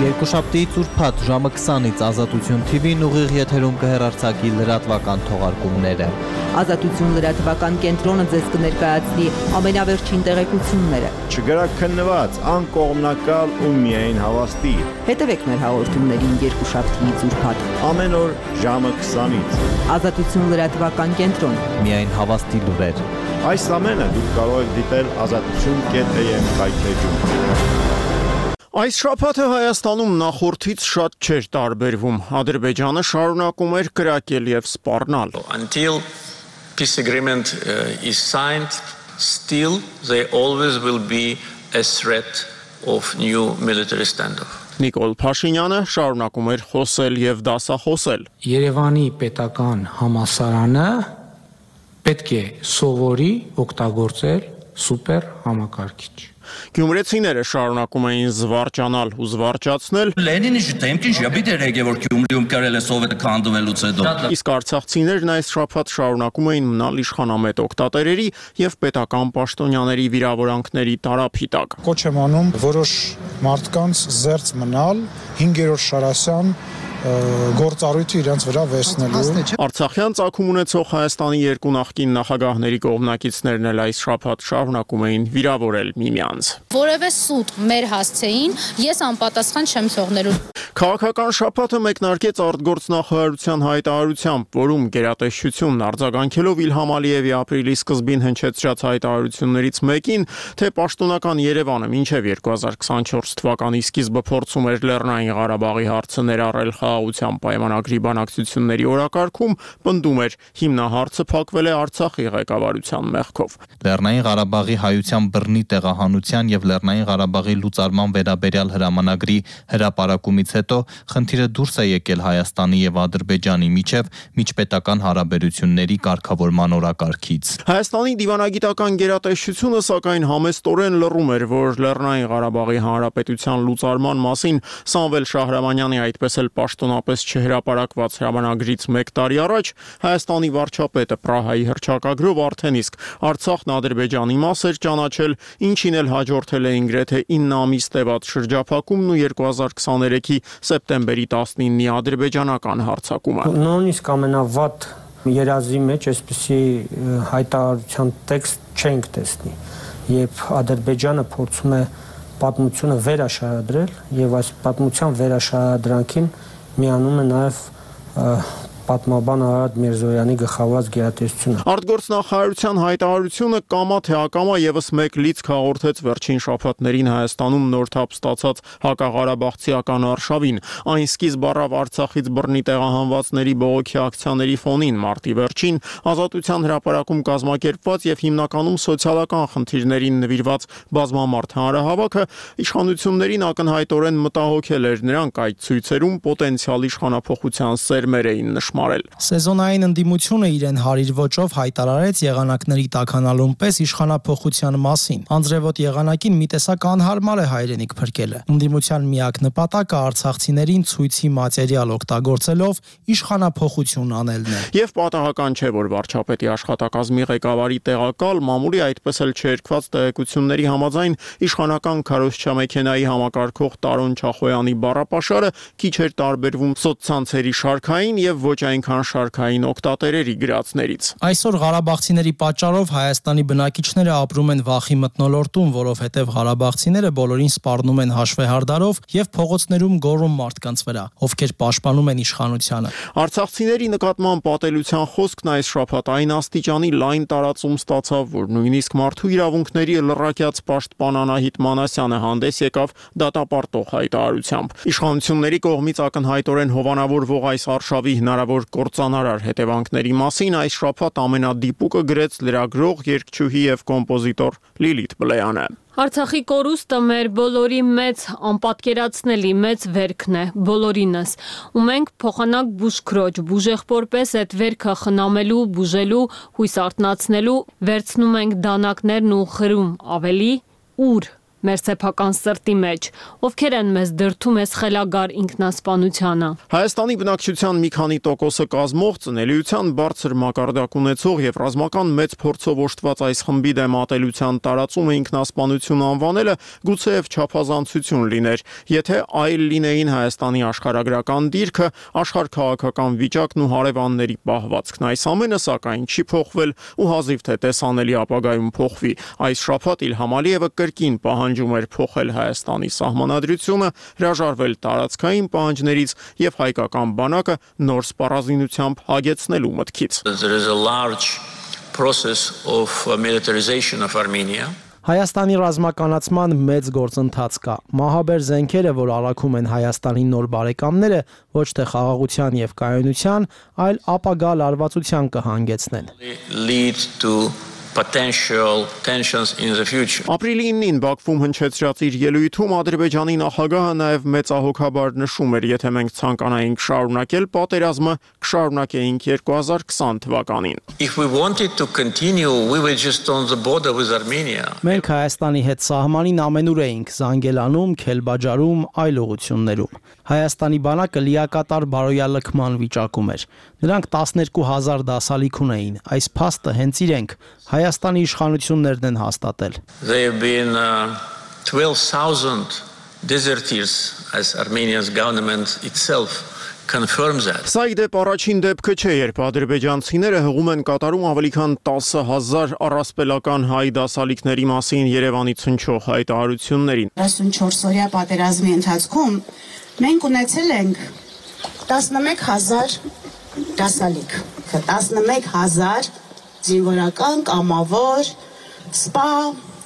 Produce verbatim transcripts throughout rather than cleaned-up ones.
Երկուշաբթի ծուրփաթ ժամը քսանից Ազատություն Թի Վին ուղիղ եթերում կհեռարձակի լրատվական թողարկումները։ Ազատություն լրատվական կենտրոնը ձեզ կներկայացնի ամենավերջին տեղեկությունները։ Չգրաքննված, անկողմնակալ ու միայն հավաստի։ Հետևեք մեր հաղորդումներին երկուշաբթի ծուրփաթ Ամեն օր ժամը քսանից։ Ազատություն լրատվական կենտրոն։ Միայն հավաստի լուրեր։ Այս ամենը դուք կարող եք դիտել ազատություն կետ էյ էմ կայքեջում։ Այս շաբաթը Հայաստանում նախորդից շատ չէր տարբերվում։ Ադրբեջանը շարունակում էր կրակել եւ սպառնալ։ Until peace agreement uh, is signed, still there always will be a threat of new military standoff. Նիկոլ Փաշինյանը շարունակում էր խոսել եւ դասախոսել։ Երևանի պետական համալսարանը պետք է սովորի օգտագործել սուպեր համակարգիչ։ Գյումրեցիները շարունակում էին զվարճանալ ու զվարճացնել։ Լենինի շտեմքին ժաբիտ էր եկել, որ Գյումրիում կրել է սովետը քանդվելուց հետո։ Իսկ արցախցիներն այս շաբաթ շարունակում էին մնալ իշխանամետ օգտատերերի եւ պետական պաշտոնյաների վիրավորանքների տարափի տակ։ Կոչ եմ անում որոշ մարդկանց զերծ մնալ հինգերորդ Շարասյան գործառույթը իրենց վրա վերցնելու։ Արցախյան ծագում ունեցող Հայաստանի երկու նախկին նախագահների կողմնակիցներն էլ այս շաբաթ շարունակում էին վիրավորել միմյանց։ Որևէ սուտ մեր հասցեին ես անպատասխան չեմ թողնելու։ Քաղաքական շաբաթը մեկնարկեց արտգործնախարարության հայտարարությամբ, որում գերատեսչությունն արձագանքելով Իլհամ Ալիևի ապրիլի սկզբին հնչեցրած հայտարարություններից մեկին, թե պաշտոնական Երևանը մինչև երկու հազար քսանչորս թվականի սկիզբը փորձում էր Լեռնային Ղարաբաղի հարցը ներառել խաղաղության պայմանագրի բանակցությունների օրակարգում, պնդում էր հիմնահարցը փակվել է Արցախի ղեկավարության մեղքով։ Լեռնային Ղարաբաղի հայության բռնի տեղահանության եւ Լեռնային Ղարաբաղի լուծարման վերաբերյալ հրամանագրի հրապարակումից հետո խնդիրը դուրս է եկել Հայաստանի եւ Ադրբեջանի միջև միջպետական հարաբերությունների կարգավորման օրակարգից։ Հայաստանի դիվանագիտական գերատեսչությունը սակայն համեստորեն լռում էր, որ Լեռնային Ղարաբաղի հանրապետության լուծարման մասին Սամվել Շահրամանյանի այդպես էլ պաշտոնապես չհրապարակված հրամանագրից մեկ տարի առաջ Հայաստանի վարչապետը Պրահայի հռչակագրով արդեն իսկ Արցախն Ադրբեջանի մաս էր ճանաչել, ինչին էլ հաջորդել էին գրեթե ինը ամիս տևած շրջափակումն ու երկու հազար քսաներեքի սեպտեմբերի տասնինի ադրբեջանական հարձակումը։ Նույնիսկ ամենավատ երազի մեջ այսպիսի հայտարարության տեքստ չենք տեսնի, երբ Ադրբեջանը փորձում է պատմությունը վերաշարադրել եւ այս պատմության վերաշարադրանքին միանում է նաեւ պատմաբան Արարատ Միրզոյանի գլխավորած գերատեսչությունը։ Արտգործնախարարության հայտարարությունը կամա թե ակամա եւս մեկ լիցք հաղորդեց վերջին շաբաթներին Հայաստանում նոր թափ ստացած հակաղարաբաղցիական արշավին։ Այն սկիզբ առավ Արցախից բռնի տեղահանվածների բողոքի ակցիաների ֆոնին մարտի վերջին Ազատության հրապարակում կազմակերպված եւ հիմնականում սոցիալական խնդիրներին նվիրված բազմամարդ հանրահավաքը իշխանություններին ակնհայտորեն մտահոգել էր, նրանք այդ ցույցերում պոտենցիալ իշխանափոխության սերմեր էին նշում։ Սեզոնային ընդդիմությունը իրեն հարիր ոճով հայտարարեց եղանակների տաքանալուն պես իշխանափոխության մասին։ Անձրևոտ եղանակին մի տեսակ անհարմար է հայրենիք փրկելը։ Ընդդիմության միակ նպատակը արցախցիներին ցույցի մատերիալ օգտագործելով իշխանափոխություն անելն է։ Եվ պատահական չէ, որ վարչապետի աշխատակազմի ղեկավարի տեղակալ մամուլի այդպես էլ չերկված տեղեկությունների համաձայն իշխանական քարոզչամեքենայի համակարգող Տարոն Չախոյանի բառապաշարը քիչ էր տարբերվում սոցցանցերի շարքային եւ ոչ այնքան շարքային օգտատերերի գրածներից։ Այսօր ղարաբաղցիների պատճառով Հայաստանի բնակիչները ապրում են վախի մթնոլորտում, որովհետև ղարաբաղցիները բոլորին սպառնում են հաշվեհարդարով եւ փողոցներում գոռում մարդկանց վրա, ովքեր պաշտպանում են իշխանությանը։ Արցախցիների նկատմամբ պատելության խոսքն այս շաբաթ այն աստիճանի լայն տարածում ստացավ, որ նույնիսկ մարդու իրավունքների լրակյաց պաշտպան Անահիտ Մանասյանը հանդես եկավ դատապարտող հայտարարությամբ։ Իշխանությունների կողմից ակնհայտորեն հովանավորվող այս արշավի հնարավոր կործանարար հետևանքների մասին այս շաբաթ ամենադիպուկը գրեց լրագրող, երգչուհի եւ կոմպոզիտոր Լիլիթ Բլեյանը։ Արցախի կորուստը մեր բոլորի մեծ անպատկերացնելի մեծ վերքն է, բոլորինս, ու մենք փոխանակ բուժքրոջ, բուժեղբոր պես այդ վերքը խնամելու, բուժելու, հույս արթնացնելու, վերցնում ենք դանակներն ու խրում ավելի ուր։ մեր սեփական սրտի մեջ, ովքեր են մեզ դրդում այս խելագար ինքնասպանությանը։ Հայաստանի բնակչության մի քանի տոկոսը կազմող ծնելիության բարձր մակարդակ ունեցող եւ ռազմական մեծ փորձով օժտված այս խմբի դեմ ատելության տարածումը ինքնասպանություն անվանելը գուցեև չափազանցություն լիներ, եթե այլ լինեին Հայաստանի աշխարհագրական դիրքը, աշխարհքաղաքական վիճակն ու հարևանների պահվածքն։ Այս ամենը սակայն չի փոխվել ու հազիվ թե տեսանելի ապագայում փոխվի։ Այս շաբաթ Իլհամ Ալիևը կրկին պահանջում էր փոխել Հայաստանի սահմանադրությունը, հրաժարվել տարածքային պահանջներից եւ հայկական բանակը նոր սպառազինությամբ հագեցնելու մտքից։ There is a large process of militarization of Armenia. Հայաստանի ռազմականացման մեծ գործընթաց կա։ Մահաբեր զենքերը, որ առաքում են Հայաստանի նոր բարեկամները, ոչ թե խաղաղության եւ կայունության, այլ ապագա լարվածության կհանգեցնեն։ Lead to potential tensions in the future. Ապրիլի իննին Բաքվում հնչեցրած իր ելույթում Ադրբեջանի նախագահը նաև մեծահոգաբար նշում էր, եթե մենք ցանկանայինք շարունակել պատերազմը, կշարունակեինք երկու հազար քսան թվականին։ If we wanted to continue, we were just on the border with Armenia. Մենք Հայաստանի հետ սահմանին ամենուր էինք, Զանգելանում, Քելբաջարում, այլ ուղություններում։ Հայաստանի բանակը լիակատար բարոյալքման վիճակում էր։ Նրանք տասներկու հազար դասալիք ունեին։ Այս փաստը հենց իրենք Հայաստանի իշխանություններն են հաստատել։ There have been uh, twelve thousand deserters as Armenia's government itself confirms that. Սա իդեպ առաջին դեպքը չէ, երբ ադրբեջանցիները հղում են կատարում ավելի քան տասը հազար առասպելական հայ դասալիքների մասին Երևանից հնչող հայտարարություններին։ տասնչորս օրյա պատերազմի ընթացքում մենք ունեցել ենք տասնմեկ հազար դասալիք, տասնմեկ հազար զինվորական, կամավոր, սպա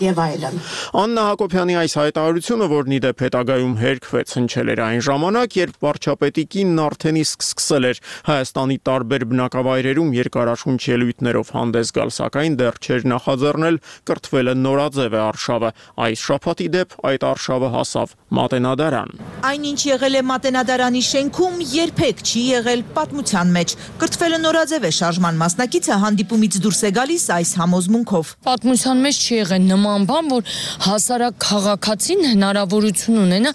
եւ այլն։ Աննա Հակոբյանի այս հայտարարությունը, որն իդեպ հետագայում հերքվեց, հնչել էր այն ժամանակ, երբ վարչապետի կինն արդեն իսկ սկսել էր Հայաստանի տարբեր բնակավայրերում երկարաշունչ ելույթներով հանդես գալ, սակայն դեռ չէր նախաձեռնել կրթվելը նորաձև է արշավը։ Այս շաբաթ իդեպ այդ արշավը հասավ Մատենադարան։ Այնինչ եղել է Մատենադարանի շենքում, երբեք չի եղել պատմության մեջ։ Կրթվելը նորաձև է շարժման մասնակիցը հանդիպումից դուրս է գալիս այս համոզմունքով։ Պատմության մեջ չի եղել նման բան, որ հասարակ քաղաքացին հնարավորություն ունենա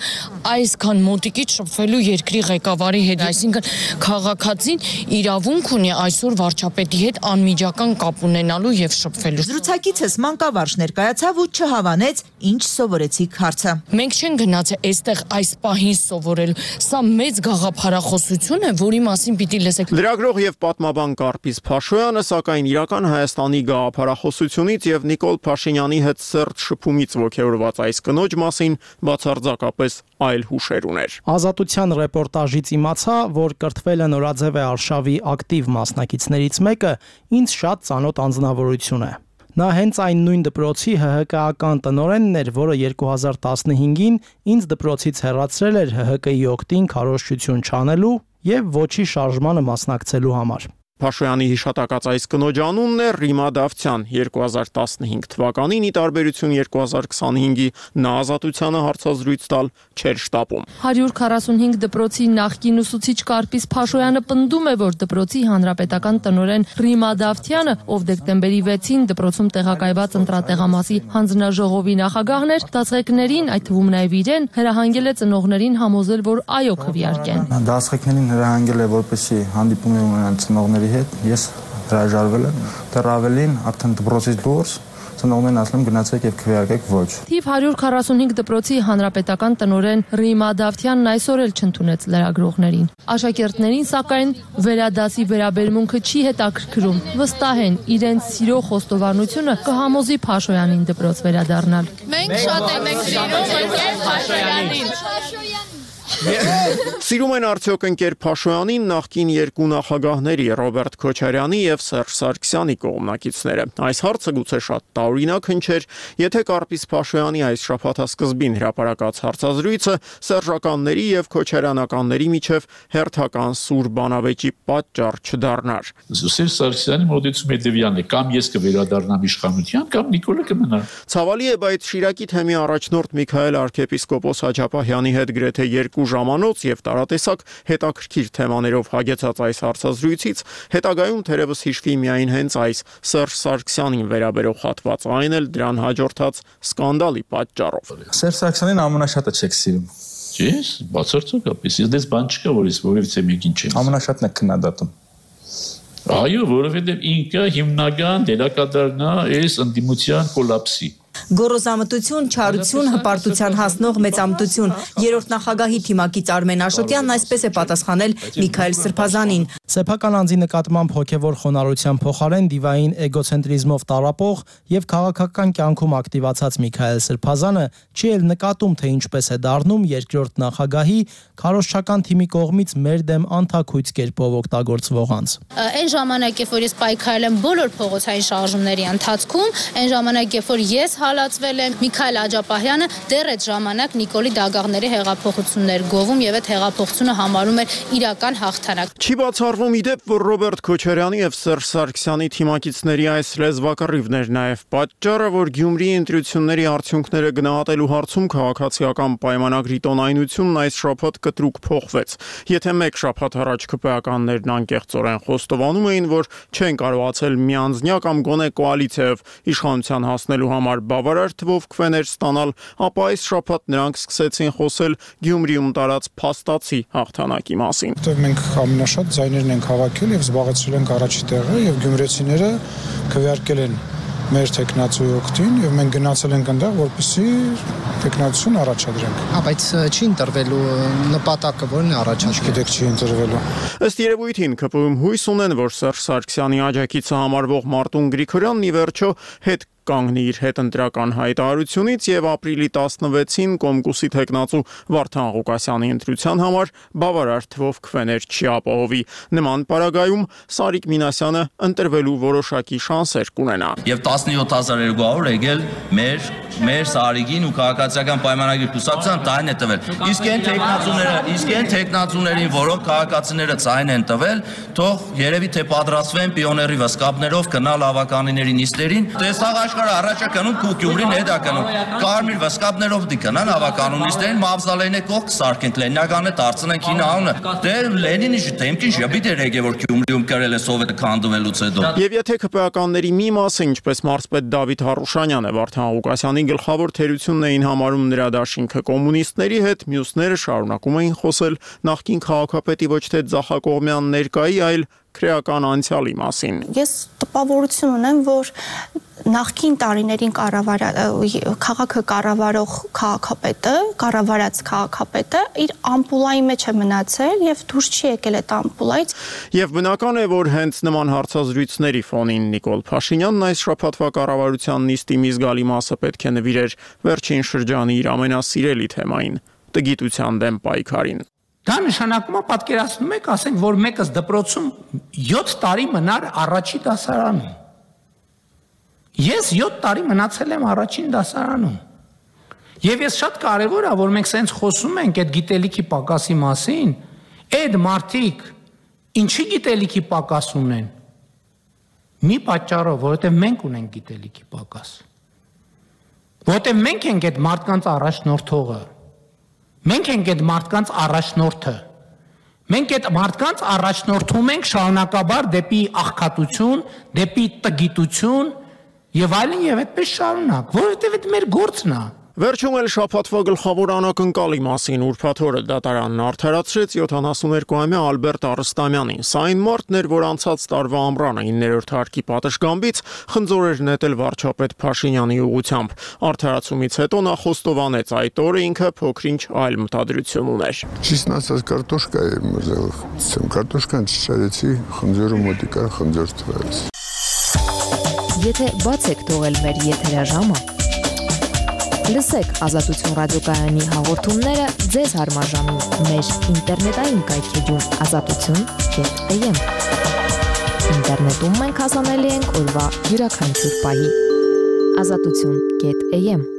այսքան մոտիկից շփվելու երկրի ղեկավարի հետ, այսինքն քաղաքացին իրավունք ունի այսօր վարչապետի հետ անմիջական կապ ունենալու եւ շփվելու։ Զրուցակիցս մանկավարժ ներկայացավ ու չհավանեց, ինչ սովորեցիք հարցը։ Մենք չենք գնացել այստեղ այս պահին սովորելու։ Սա մեծ գաղափարախոսություն է, որի մասին պիտի լսեք։ Լրագրող եւ պատմաբան Կարպիս Փաշոյանը սակայն իրական Հայաստանի գաղափարախոսությունից եւ Նիկոլ Փաշինյանի հետ սերտ շփումից ոգևորված այս կնոջ մասին բացարձակապես այլ հուշեր ուներ։ Ազատության ռեպորտաժից իմացա, որ կրթվելը նորաձև է արշավի ակտիվ մասնակիցներից մեկը, ինձ շատ ծանոթ անձնավորություն է։ Նա հենց այն նույն դպրոցի Հ Հ Կ-ական տնօրենն էր, որը երկու հազար տասնհինգին ինձ դպրոցից հեռացրել էր Հ Հ Կ-ի օգտին քարոզչություն չանելու եւ ոչի շարժմանը մասնակցելու համար։ Փաշոյանի հիշատակած այս կնոջ անունն է Ռիմա Դավթյան։ երկու հազար տասնհինգ թվականին ի տարբերություն երկու հազար քսանհինգի նա ազատությանը հարցազրույց տալ չէր շտապում։ հարյուր քառասունհինգ դպրոցի նախկին ուսուցիչ Կարպիս Փաշոյանը պնդում է, որ դպրոցի հանրապետական տնօրեն Ռիմա Դավթյանը, ով դեկտեմբերի վեցին դպրոցում տեղակայված ընտրատեղամասի հանձնաժողովի նախագահն էր, դասղեկներին, այդ թվում նաև իրեն, հրահանգել է ծնողներին համոզել, որ այո քվեարկեն։ Դասղեկներին հրահանգել է, որպեսզի հանդիպում ունենան ծնողների հետ, ես հրաժարվել եմ, դեռ ավելին արդեն դպրոցից դուրս ծնողներն ասում են գնացեք եւ քվեարկեք ոչ։ Թիվ հարյուր քառասունհինգ դպրոցի հանրապետական տնօրեն Ռիմա Դավթյանն այսօր էլ չընդունեց լրագրողներին։ Աշակերտներին սակայն վերադասի վերաբերմունքը չի հետաքրքրում։ Վստահ են, իրենց սիրո խոստովանությունը կհամոզի Փաշոյանին դպրոց վերադառնալ։ Մենք շատ ենք սիրում Փաշոյանին։ Սիրում են արդյոք ընկեր Փաշոյանին նախկին երկու նախագահների Ռոբերտ Քոչարյանի եւ Սերժ Սարգսյանի կողմնակիցները։ Այս հարցը գուցե շատ տարօրինակ հնչեր, եթե Կարպիս Փաշոյանի այս շաբաթասկզբին հրապարակած հարցազրույցը սերժականների եւ քոչարյանականների միջև հերթական սուր բանավեճի պատճառ չդառնար։ Սերժ Սարգսյանի մոտեցումը հետևյալն է, կամ ես կվերադառնամ իշխանության, կամ Նիկոլը կմնա։ Ցավալի է, բայց Շիրակի թեմի առաջնորդ Միքայել arczepiskopos Հաջապահյանի հետ գրեթե երկու երկու ժամանոց եւ տարատեսակ հետաքրքիր թեմաներով հագեցած այս հարցազրույցից հետագայում թերևս հիշվի միայն հենց այս Սերժ Սարգսյանին վերաբերող հատվածը, այն էլ դրան հաջորդած սկանդալի պատճառով։ Սերժ Սարգսյանին ամենաշատը չեք սիրում։ Ես բացարձակապես, ես դες բան չկա, որ ես որևիցե մեկին չեմ։ Ամենաշատն եք քննադատում։ Այո, որովհետև ինքը հիմնական դերակատարն է այս ընդդիմության կոլապսի։ Գոռոզամտություն, չարություն, հպարտության հասնող մեծամտություն։ Երրորդ նախագահի թիմակից Արմեն Աշոտյանն այսպես է պատասխանել Միքայել Սրբազանին։ Սեփական անձի նկատմամբ հոգևոր խոնարհության փոխարեն դիվային էգոցենտրիզմով տարապող եւ քաղաքական կյանքում ակտիվացած Միքայել Սրբազանը չի էլ նկատում, թե ինչպես է դառնում երկրորդ նախագահի քարոզչական թիմի կողմից մեր դեմ անթաքույց կերպով օգտագործվող անձ։ Այն ժամանակ, երբ որ ես պայքարել եմ բոլոր փողոցային շարժումների ընթացքում, այն ժամանակ, երբ որ ես հալածվել եմ, Միքայել Աջապահյանը դեռ այդ ժամանակ Նիկոլի Դագաղների հեղափոխություններ գովում եւ այդ հեղափոխությունը համարում էր իրական հաղթանակ։ Չի բացառվում ի դեպ, որ Ռոբերտ Քոչարյանի եւ Սերժ Սարգսյանի թիմակիցների այս լեզվակռիվն էր նաեւ պատճառը, որ Գյումրիի ընտրությունների արդյունքները գնահատելու հարցում քաղաքացիական պայմանագրի տոնայնությունն այս շաբաթ կտրուկ փոխվեց։ Եթե մեկ շաբաթ առաջ ԿՊԱ-ականներն անկեղծորեն խոստովանում էին, որ չեն կարողացել միանձնյա կամ գոնե կոալիցիայով իշխանության հասնելու համար բավարար թվով քվեներ ստանալ, ապա այս շաբաթ նրանք սկսեցին խոսել Գյումրիում տարած փաստացի հաղթանակի մասին։ Որտեղ մենք ամենաշատ ձայներն ենք հավաքել եւ զբաղեցրել ենք առաջի տեղը եւ գյումրեցիները քվեարկել են մեր տեխնացուի օգտին եւ մենք գնացել ենք այնտեղ, որպեսզի տեխնացուն առաջադրենք։ Հա, բայց չի ընտրվելու նպատակը, որն է առաջադրել։ Գիտեք, չի ընտրվելու։ Ըստ երևույթին ԿՊ-ում հույս ունեն, որ Սերժ Սարգսյանի աջակիցը համարվող Մարտուն Գրիգորյանն ի վերջո հետ կանգնի իր հետընտրական հայտարարությունից եւ ապրիլի տասնվեցին Կոմկուսի տեխնացու Վարդան Ղուկասյանի ընտրության համար բավարար թվով քվեներ չի ապահովի։ Նման պարագայում Սարիկ Մինասյանը ընտրվելու որոշակի շանսեր կունենա։ Եվ տասնյոթ հազար երկու հարյուր եկել մեր մեր Սարիգին ու քաղաքացիական պայմանագրի կուսակցության տայն է տվել։ Իսկ այն տեխնացուները, իսկ այն տեխնացուներին, որոնք քաղաքացիները ցայն են տվել, թող երևի թե պատրաստվեն պիոների վսկապներով գնալ ավականիների նիստերին։ Տեսաղ աշխարհը առաջա կնում ու Գյումրին հետա կնում։ Կարմիր վսկապներով դի կնան ավականունիստերին մավզալենե կողք սարքենք Լենինականը դարձնենք հին անունը։ Դե Լենինի շտեմքին ժբիտ էր եկել որ Գյումրիում կրել է սովետը քանդվելուց հետո։ Եվ եթե ԿՊԱ-ականների մի մասը, ինչպես մարզպետ Դավիթ Հարուշանյանը Վարդան Ղուկասյանի գլխավոր թերությունն էին համարում նրա դաշինքը կոմունիստների հետ, մյուսները շարունակում էին խոսել նախկին քաղաքապետի ոչ թե Ձախակողմյան ներկայի, այլ քրեական անցյալի մասին։ Ես տպավորություն ունեմ, որ նախկին տարիներին քաղաքը կառավարող քաղաքապետը, կառավարած քաղաքապետը իր ամպուլայի մեջ է մնացել եւ դուրս չի եկել այդ ամպուլայից։ Եվ բնական է, որ հենց նման հարցազրույցների ֆոնին Նիկոլ Փաշինյանն այս շաբաթվա կառավարության նիստի մի զգալի մասը պետք է նվիրեր վերջին շրջանի իր ամենասիրելի թեմային՝ տգիտության դեմ պայքարին։ Դա նշանակում է պատկերացնում եք, ասենք, որ մեկս դպրոցում յոթ տարի մնար առաջի դասարանում։ Ես յոթ տարի մնացել եմ առաջին դասարանում։ Եվ ես շատ կարևոր է, որ մենք սենց խոսում ենք այդ գիտելիքի պակասի մասին, այդ մարդիկ ինչի գիտելիքի պակաս ունեն։ Մի պատճառով, որովհետև մենք ունենք գիտելիքի պակաս։ Որովհետև մենք ենք այդ մարդկանց առաջնորդողը։ Մենք ենք այդ մարդկանց առաջնորդը։ Մենք այդ մարդկանց առաջնորդում ենք շարունակաբար դեպի աղքատություն, դեպի տգիտություն եւ այլն եւ այդպես շարունակ, որովհետեւ այդ մեր գործն է։ Վերջում էլ շաբաթվա գլխավոր անակնկալի մասին ուրբաթ օրը դատարանն արդարացրեց յոթանասուներկուամյա Ալբերտ Արստամյանին։ Սա այն մարդն էր, որ անցած տարվա ամռանը իններորդ հարկի պատշգամբից խնձոր էր նետել վարչապետ Փաշինյանի ուղղությամբ։ Արդարացումից հետո նա խոստովանեց այդ օրը ինքը փոքրինչ այլ մտադրություն ուներ։ Ճիշտն ասած կարտոշկա էր մզել, կարտոշկան չճարեցի, խնձորը մոտիկա խնձոր թվեց։ Եթե բաց եք թողել մեր եթերաժամը, լսեք Ազատություն ռադիոկայանի հաղորդումները ձեզ հարմարժամին մեր ինտերնետային կայքեջում ազատություն կետ եմ։ Ինտերնետում մենք հասանելի ենք օրվա յուրաքանչյուր պահի ազատություն կետ եմ։